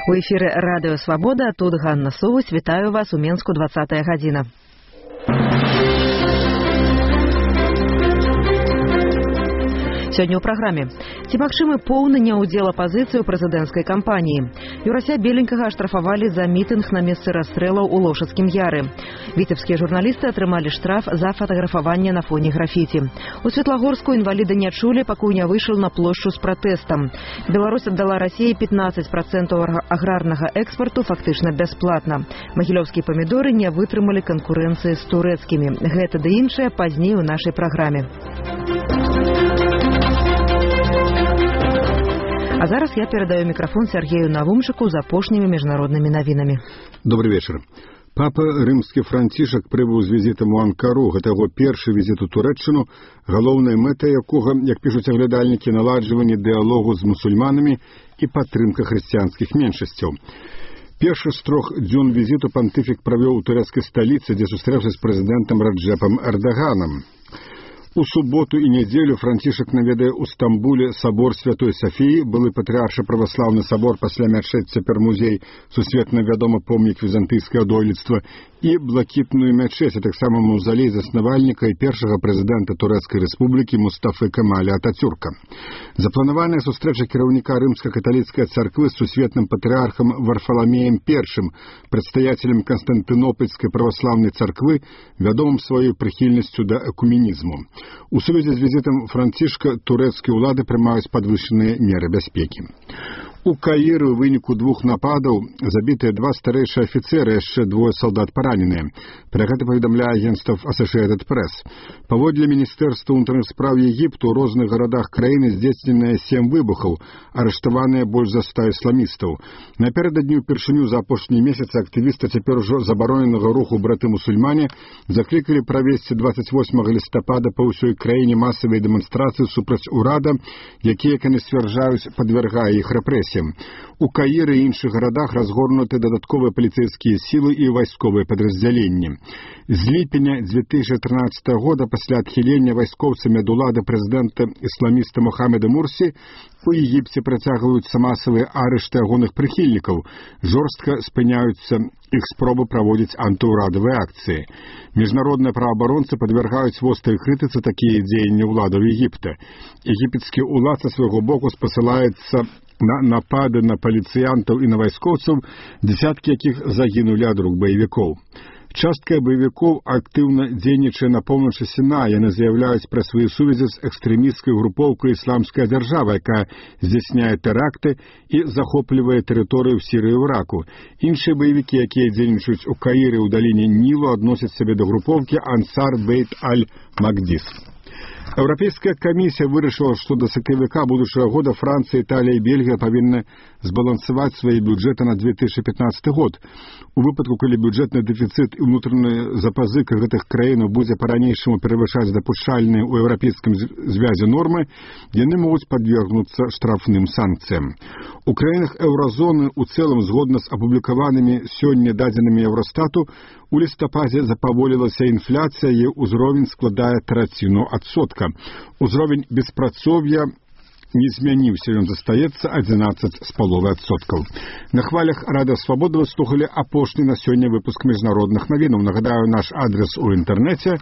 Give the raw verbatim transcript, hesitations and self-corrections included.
У эфіры Радыё Свабода, тут Ганна Совусь, вітаю вас у Менску двадцатая гадзіна. Сёння ў праграме. Ці магчымы поўны няўдзел апазіцыі ў прэзідэнцкай кампаніі? Юрася Беленькага аштрафавалі за мітынг на месцы расстрэлаў у Лошадскім Яры. Віцебскія журналісты атрымалі штраф за фатаграфаванне на фоне графіці. У Светлагорску інваліды не чулі, пакуль не выйшаў на плошчу з пратэстам. Беларусь аддала Расіі пятнаццаць працэнтаў аграрнага экспарту фактычна бясплатна. Магілёўскія памідоры не вытрымалі канкурэнцыі з турэцкімі. Гэта ды іншае пазней у нашай праграме. А зараз я перадаю микрофон Сергею Навумчыку з апошнімі міжнароднымі навінамі. Добрый вечер. Папа рымскі Францішак прыбыў з візітам у Анкару. Гэта яго першы візіт у Турэччыну, галоўная мэта якога, як пішуць аглядальнікі, наладжванне дыялогу з мусульманамі і падтрымка хрысціянскіх меншасцяў. Першы з трох дзён візіту пантыфік правёў у турэцкай сталіцы, дзе сустрэўся з прэзідэнтам Раджэпам Эрдаганам. У суботу і нядзелю Францішак наведае ў Стамбуле сабор Святой Сафіі, былы патрыаршы праваслаўны сабор, пасля мячэць цяпер музей, сусветна вядомы помнік візантыйскага дойлідства, і блакітную мячэць, а таксама маўзалей заснавальніка і першага прэзідэнта Турэцкай рэспублікі Мустафы Кемаля Атацюрка. Запланаваная сустрэча кіраўніка рымска-каталіцкай царквы з сусветным патрыархам Варфаламеем першым, прадстаяцелем Канстантынопольскай праваслаўнай царквы, вядомым сваёй прыхільнасцю да экуменізму. У сувязі з візітам Францішка турэцкія ўлады прымаюць падвышаныя меры бяспекі. У Каіры ў выніку двух нападаў забітыя два старэйшыя афіцеры, яшчэ двое салдат параненыя. Пра гэта паведамляе агенцтва Associated Press. Паводле Міністэрства ўнутраных спраў Егіпту ў розных гарадах краіны здзейсненыя сем выбухаў, арыштаваныя больш за ста ісламістаў. Напярэдадні ўпершыню за апошнія месяцы актывісты цяпер ужо забароненага руху браты-мусульмане заклікалі правесці дваццаць восьмага лістапада па ўсёй краіне масавыя дэманстрацыі супраць урада, якія, як яны сцвярджаюць, падвяргае іх рэпрэсіям. У Каіры і іншых гарадах разгорнуты дадатковыя паліцэйскія сілы і вайсковыя падраздзяленні. З ліпеня дзве тысячы трынаццатага года пасля адхілення вайскоўцамі ад улады прэзідэнта ісламіста Мухаммеда Мурсі у Егіпце працягваюцца масавыя арышты агульных прыхільнікаў, жорстка спыняюцца іх спробы праводзіць антыўрадавыя акцыі. Міжнародныя праваабаронцы падвяргаюць вострай крытыцы такія дзеянні ўладаў Егіпта. Егіпецкі ўлад са свайго боку спасылаецца на напады на паліцыянтаў і на вайскоўцаў, дзесяткі якіх загінулі ад рук баевікоў. Частка баевікоў актыўна дзейнічае на поўначы Сіная. Яны заяўляюць пра свае сувязі з экстрэмісцкай групоўкай ісламская дзяржава, якая здзяйсняе тэракты і захоплівае тэрыторыю ў Сірыі і Іраку. Іншыя баевікі, якія дзейнічаюць у Каіры ў даліне Нілу, адносяць сябе да групоўкі Ансар Бейт аль-Магдис. Еўрапейская камісія вырашыла, што да сакавіка будучага года Францыя, Італія і Бельгія павінны збалансаваць свае бюджэты на две тысячы пятнаццаты год. У выпадку, калі бюджэтны дэфіцыт і ўнутраная запазыка гэтых краінаў будзе па-ранейшаму перавышаць дапушчальныя ў еўрапейскім звязе нормы, яны могуць падвергнуцца штрафным санкцыям. У краінах еўразоны ў цэлым, згодна з апублікаванымі сёння дадзенымі Еўрастату, у лістападзе запаволілася інфляцыя, яе ўзровень складае траціну адсотка. Узровень беспрацоўя не змяніўся, ён застаецца адзінаццаць з паловай адсоткаў. На хвалях Радыё Свабода вы слухалі апошні на сёння выпуск міжнародных навінаў. Нагадаю, наш адрес у інтэрнэце